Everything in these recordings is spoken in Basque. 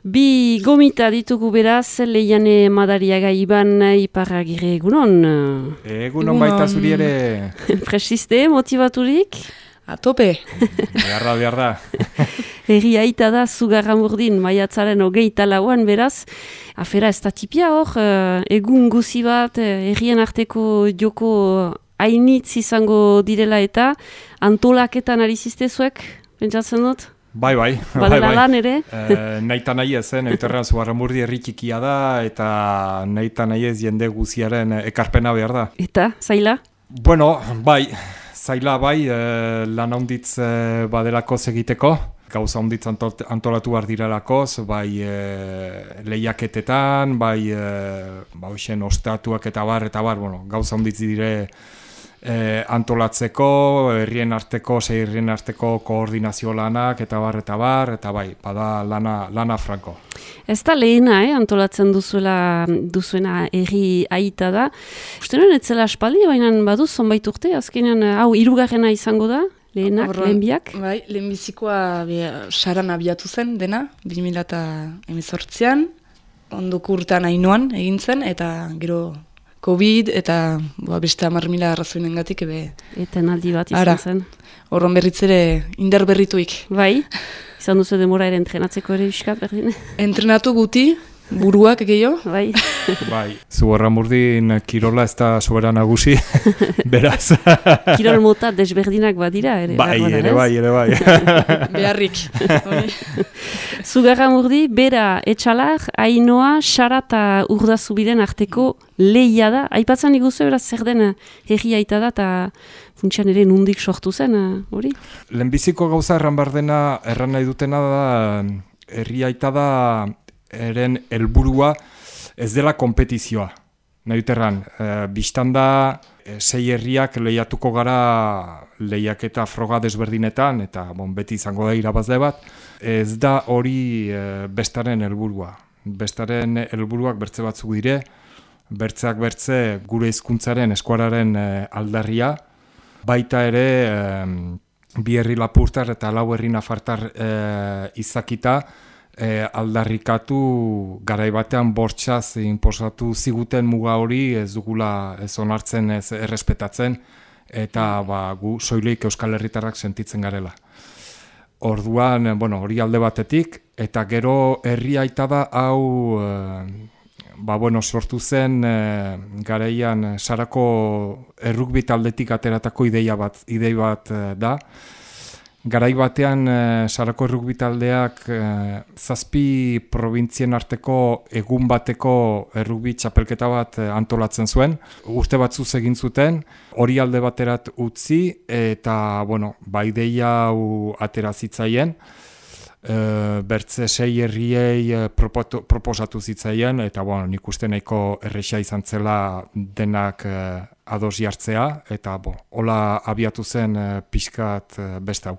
Bi gomita ditugu beraz, Leiane Madariaga Iban Iparragirre egunon. Egunon baita zuri ere. Presiste, motivaturik? A tope. Behar da. Herri aita da, Zugarramurdin, maiatzaren 24an beraz. Afera ez da tipia hor, egun guzi bat, herrien arteko joko hainitz izango direla eta antolaketan ari ziztezuek, pentsatzen dut? Bai. Badela lan ere? Nahita nahi ezen, euterrean Zugarramurdi herri txikia da, eta nahita nahi ez jende guziaren ekarpena behar da. Eta, zaila? Bueno, bai, zaila bai, lan handitz badelako egiteko. Gauza handitz antolatu behar direlakoz, bai lehiaketetan, bai hoxen ostatuak eta bar, bueno, gauza handitz dire antolatzeko, herrien arteko, sei herrien arteko koordinazio lanak, eta bar, eta bai, bada lana franko. Ez da lehena, antolatzen duzuena herri aita da. Uste nuen etzela aspaldi, baina baduz zonbait urte, azkenean, hau hirugarrena izango da, lehen biak? Bai, lehenbizikoa saran abiatu zen dena, 2018an, ondoko urtean Ainoan egin zen, eta gero COVID eta beste 10.000 arrazoinengatik Eta aldi bat izan zen. Horron berritzere indar berrituik. Bai, izan duzu demora ere entrenatzeko ere biskat berdin? Entrenatu guti, buruak gehiago. Bai. Bai, Zugarramurdin kirola ez da sobera nagusi, beraz. Kirol mota desberdinak badira ere. Ere bai. Beharrik. Zugarramurdi, bera, etxalar, Ainoa, Sara eta Urdazubiren arteko lehia da. Aipatzen iguzu beraz zer den herri aita da eta funtsian ere nundik sortu zen, hori? Lehenbiziko gauza erran nahi dutena da, herri aita da eren helburua ez dela konpetizioa. Nahi duterran, biztanda sei herriak lehiatuko gara lehiaketa froga desberdinetan, eta beti izango da irabazle bat, ez da hori bestaren helburua. Bestaren helburuak bertze batzuk dire, bertzeak bertze gure hizkuntzaren eskuararen aldarria, baita ere bi herri lapurtar eta lau herri nafartar izakita, aldarrikatu garaibatean bortxaz inposatu ziguten muga hori ez dugula ez onartzen, ez errespetatzen, eta gu soilik Euskal Herritarrak sentitzen garela. Orduan, hori alde batetik, eta gero herri aita da hau sortu zen garaian Sarako errugbi taldetik ateratako idei bat da. Garai batean Sarako errugbi taldeak 7 probintzien arteko egun bateko errugbi txapelketa bat antolatzen zuen. Urte batzuz egin zuten, hori alde baterat utzi, eta ideia hau atera zitzaien. Bertze 6 herriei proposatu zitzaien, eta nik uste nahiko erresa izan zela denak ados jartzea, eta hola abiatu zen pixkat beste hau.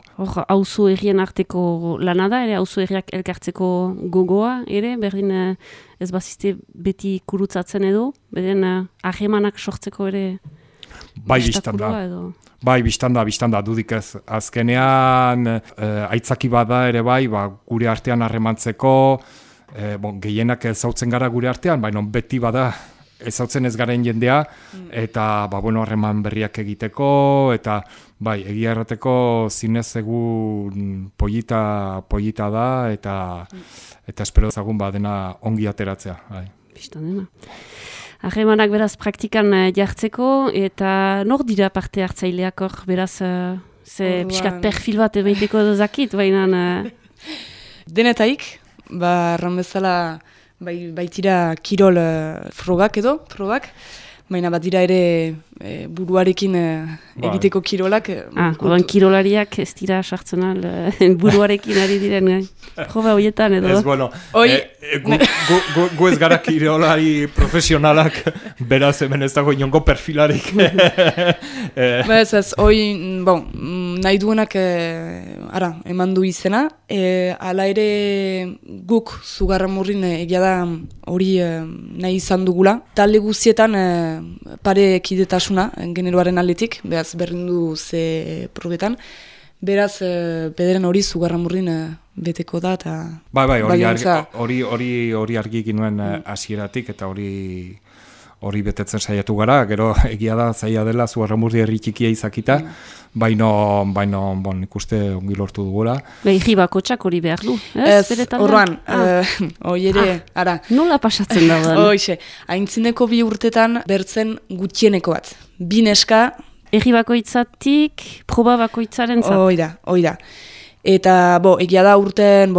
Auzo herrien arteko lana da, ere auzo herriak elkartzeko gogoa, ere, berdin ez bazizte beti kurutzatzen edo, beren ahemanak sortzeko ere bistakula edo? Bai, biztanda, dudik ez. Azkenean, aitzaki bada ere bai, gure artean harremantzeko, gehienak ezautzen gara gure artean, baina beti bada ezautzen ez garen jendea, eta harreman berriak egiteko, eta egia errateko zinez egun polita da, eta espero ezagun dena ongi ateratzea. Biztandena. Harremanak beraz praktikan jartzeko, eta nor dira parte hartzaileak hor, beraz, pixkat perfil bat emaiteko dozakit, baina... Denetaik, erran bezala baitira kirol frogak, baina bat dira ere buruarekin egiteko kirolak. Odan kirolariak ez dira sartzen buruarekin ari diren, proba horietan edo. Ez, gu ez gara kirolari profesionalak, beraz hemen ez dago inongo perfilarik. Nahi duenak eman du izena, hala ere guk Zugarramurdin egia da hori nahi izan dugula. Talde guztietan pare kidetasuna generoaren aldetik, behaz berdindu ze probetan, Beraz, bederen hori Zugarramurdin beteko da, eta... Bai, hori argi ginuen hasieratik eta hori betetzen saiatu gara, gero egia da zaila dela Zugarramurdi herri txikia izakita, baino nik uste ongi lortu dugula. Behi bakotxak hori behar du, ez? Horroan, hoi ere, ara. Nola pasatzen da? Hoixe, aintzineko 2 urtetan bertzen gutxieneko bat. 2 neska... Egi bakoitzatik, proba bakoitzaren zat. Hoi da. Eta, egia da urten,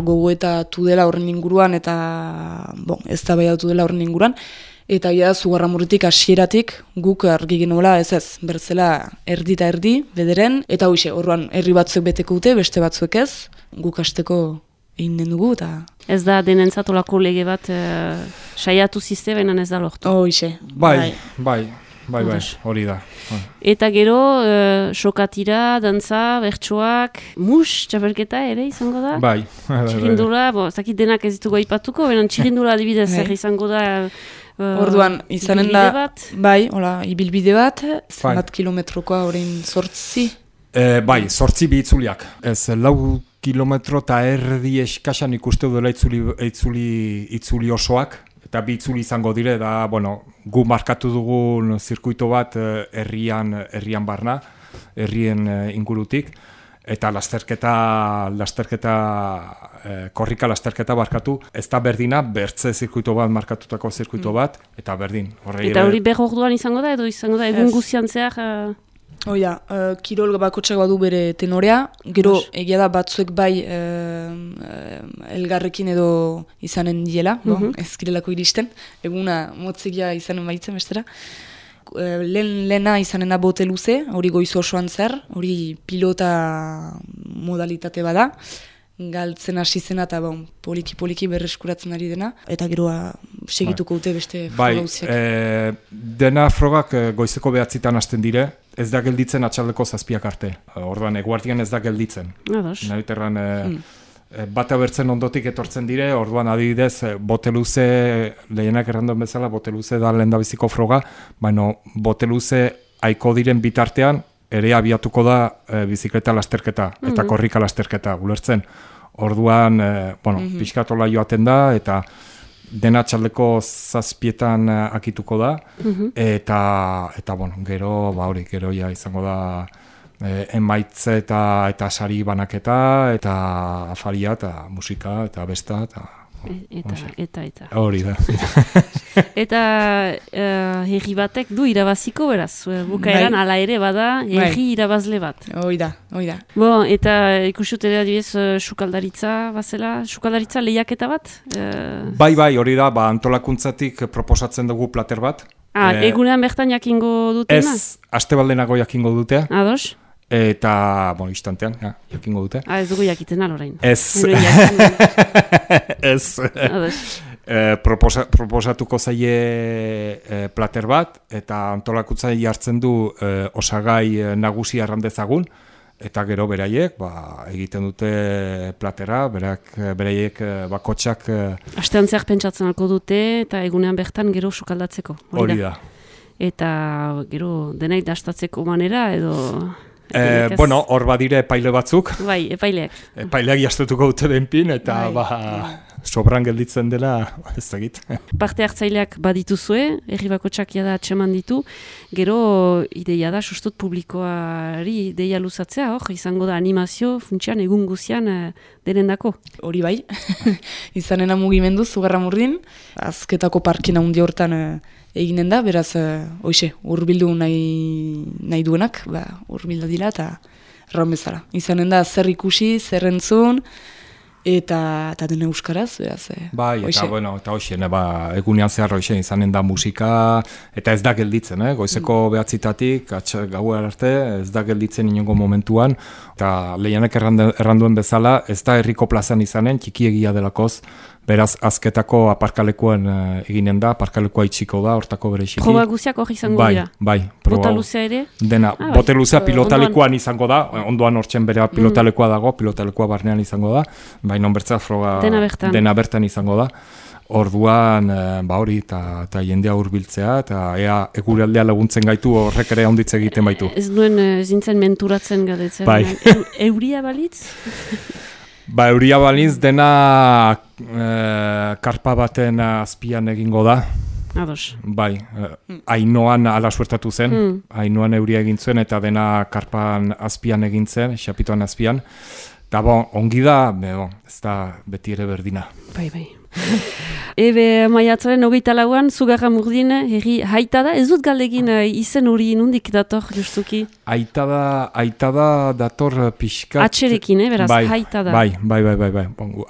gogoetatu dela horren inguruan, eta, ez da baiatu dela horren inguruan, eta egia da Zugarramurditik hasieratik guk argi genuela ez, bertzela erdi eta erdi, bederen, eta hoxe, horroan herri batzuek beteko dute, beste batzuek ez, guk hasteko egin den dugu, eta... Ez da denentzat olako lege bat saiatu zizte, baina ez da lortu. Hoxe. Bai, hori da. Eta gero, sokatira, dantza, bertsoak, txapelketa ere izango da? Bai. Txirindula, zakit denak ez ditugu aipatuko, benen txirindula adibidez zer izango da orduan, izanen da, bat? Bai, ibilbide bat, zenbat kilometrokoa orain 8? Bai, 8 bi itzuliak. Ez, 4 kilometro eta erdi eskasan ikuste dela itzuli osoak. Eta 2 itzuli izango dire, da, gu markatu dugun zirkuito bat herrian barna, herrien ingurutik, eta korrika lasterketa barkatu, ez da berdina, bertze zirkuito bat, markatutako zirkuito bat, eta berdin. Eta hori behar orduan izango da, edo izango da, egun guzian zehar... Oia, kirol bakotxak badu bere tenorea, gero egia da batzuek bai elgarrekin edo izanen diela, ez kirelako iristen, eguna motzegia izanen baitzen bestera. Lehena izanen da bote luze, hori goizu osoan zer, hori pilota modalitate bada, galtzen hasi zena eta poliki berreskuratzen ari dena, eta geroa segituko dute beste froga guztiak. Bai, dena frogak goizeko 9 hasten dire, ez da gelditzen atxaldeko 7 arte. Orduan, eguardian ez da gelditzen. Nahiterran bata bertzen ondotik etortzen dire, orduan adibidez, bote luze, lehenak erranduen bezala, bote luze da lehendabiziko froga, baina bote luze aiko diren bitartean, ere abiatuko da bizikleta lasterketa eta korrika lasterketa, ulertzen. Orduan, pixkatola joaten da, eta dena txaldeko 7 akituko da, eta gero, gero ja izango da emaitze eta sari banaketa, eta afaria, eta musika, eta besta, eta. Hori da. Eta herri batek du irabaziko beraz, bukaeran ala ere bada herri irabazle bat. Hoi da. Eta ikusut ere adibidez sukaldaritza bazela, sukaldaritza lehiaketa bat? Bai, hori da, antolakuntzatik proposatzen dugu plater bat. Egunean bertan jakingo dutena? Ez, astebaldenago jakingo dute. Ados? Eta, instantean, jakingo dute. Ez dugu jakiten alorain. Ez. Proposatuko zaie plater bat, eta antolakuntza jartzen du osagai nagusi arrandezagun, eta gero beraiek egiten dute platera, beraiek bakotxak... Astean zehar pentsatzen alko dute, eta egunean bertan gero sukaldatzeko. Hori da. Eta gero denaik dastatzeko manera, edo... Hor badire epaile batzuk. Bai, epaileak. Epaileak jastutuko dute benpin, eta sobran gelditzen dela, ez dakit. Parte hartzaileak badituzue, herri bakotxak jada atxeman ditu, gero ideia da, sustut publikoari ideia luzatzea, izango da animazio, funtsian, egun guzian denendako. Hori bai, izanena mugimendu, Zugarramurdin, azketako parkina hundi hortan eginen da, beraz, hurbildu nahi duenak, hurbilda dira, eta erran bezala. Izanen da, zer ikusi, zer entzun, eta dena euskaraz, beraz. Bai, eta egunean zehar izanen da musika, eta ez da gelditzen, goizeko 9-tatik, gaua arte, ez da gelditzen inongo momentuan, eta lehianek erranduen bezala, ez da herriko plazan izanen, txikiegia delakoz, beraz, azketako aparkalekuan eginen da, aparkalekua itxiko da, hortako bere xiki. Proba guziak hori izango dira? Bai. Bota luzea ere? Dena, bote luzea pilotalekuan izango da, ondoan hortzen bere pilotalekua dago, pilotalekua barnean izango da, baina bertza froga dena bertan izango da. Orduan, hori, eta jendea hurbiltzea, eta ea eguraldea laguntzen gaitu horrek ere onditze egiten baitu. Ez nuen zintzen menturatzen galdetzen. Bai. Euria balitz? Euria balitz dena karpa baten azpian egingo da. Ados. Bai, Ainoan ala suertatu zen, Ainoan euria egin zuen eta dena karpan azpian egin zen, xapitoan azpian. Eta ongi da, ez da beti ere berdina. Bai. Ebe maiatzaren 24an Zugarramurdin herri haita da, ez dut galdegin izen hori nondik dator justuki? Aita da dator pixkat... Atxerekin, beraz, haita da. Bai.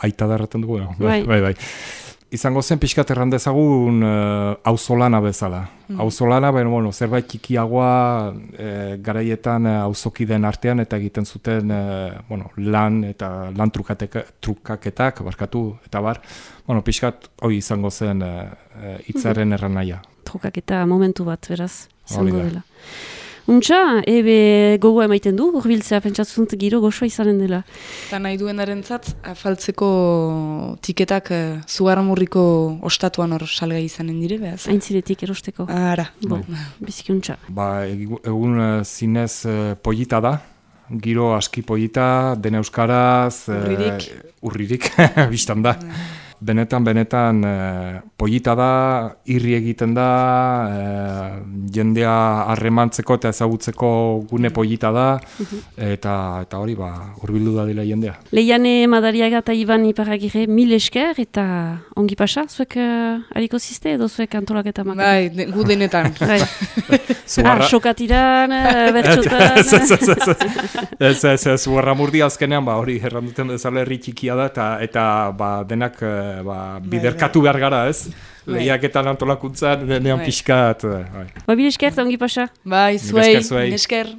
Aita da erraten dugu, bai. Izango zen pixkat errandezagun auzolana bezala. Auzolana, zerbait txikiagoa garaietan auzokideen artean eta egiten zuten lan eta lan trukaketak, eta bar. Pixkat hori izango zen hitzaren erranaia. Trukaketa momentu bat, beraz, izango dela. Untxa, ebe gogoa emaiten du, urbiltzea pentsatzunt giro goxoa izanen dela. Eta nahi duenarentzat, afaltzeko tiketak Zugarramurriko ostatuan hor salgai izanen dire, behaz? Aintziretik erosteko. Ara. Biziki untxa. Egun zinez pollita da, giro aski pollita, dena euskaraz... Urririk, biztan da. Benetan pollita da, irri egiten da, jendea harremantzeko eta ezagutzeko gune pollita da, eta hori hurbildu da dela jendea. Leiane Madariaga eta Iban Iparragirre 1000 esker eta ongi pasa, zuek hariko ziste edo zuek antolaketa maka? Bai, gu denetan. Xokatiran, bertxotan... Zugarramurdi azkenean, hori erranduten bezala herri txikia da, eta denak biderkatu behar gara, ez? Lehiaketan antolakuntzan, denean pixkat. Bil esker, ongi pasa. Bai, zuei, esker.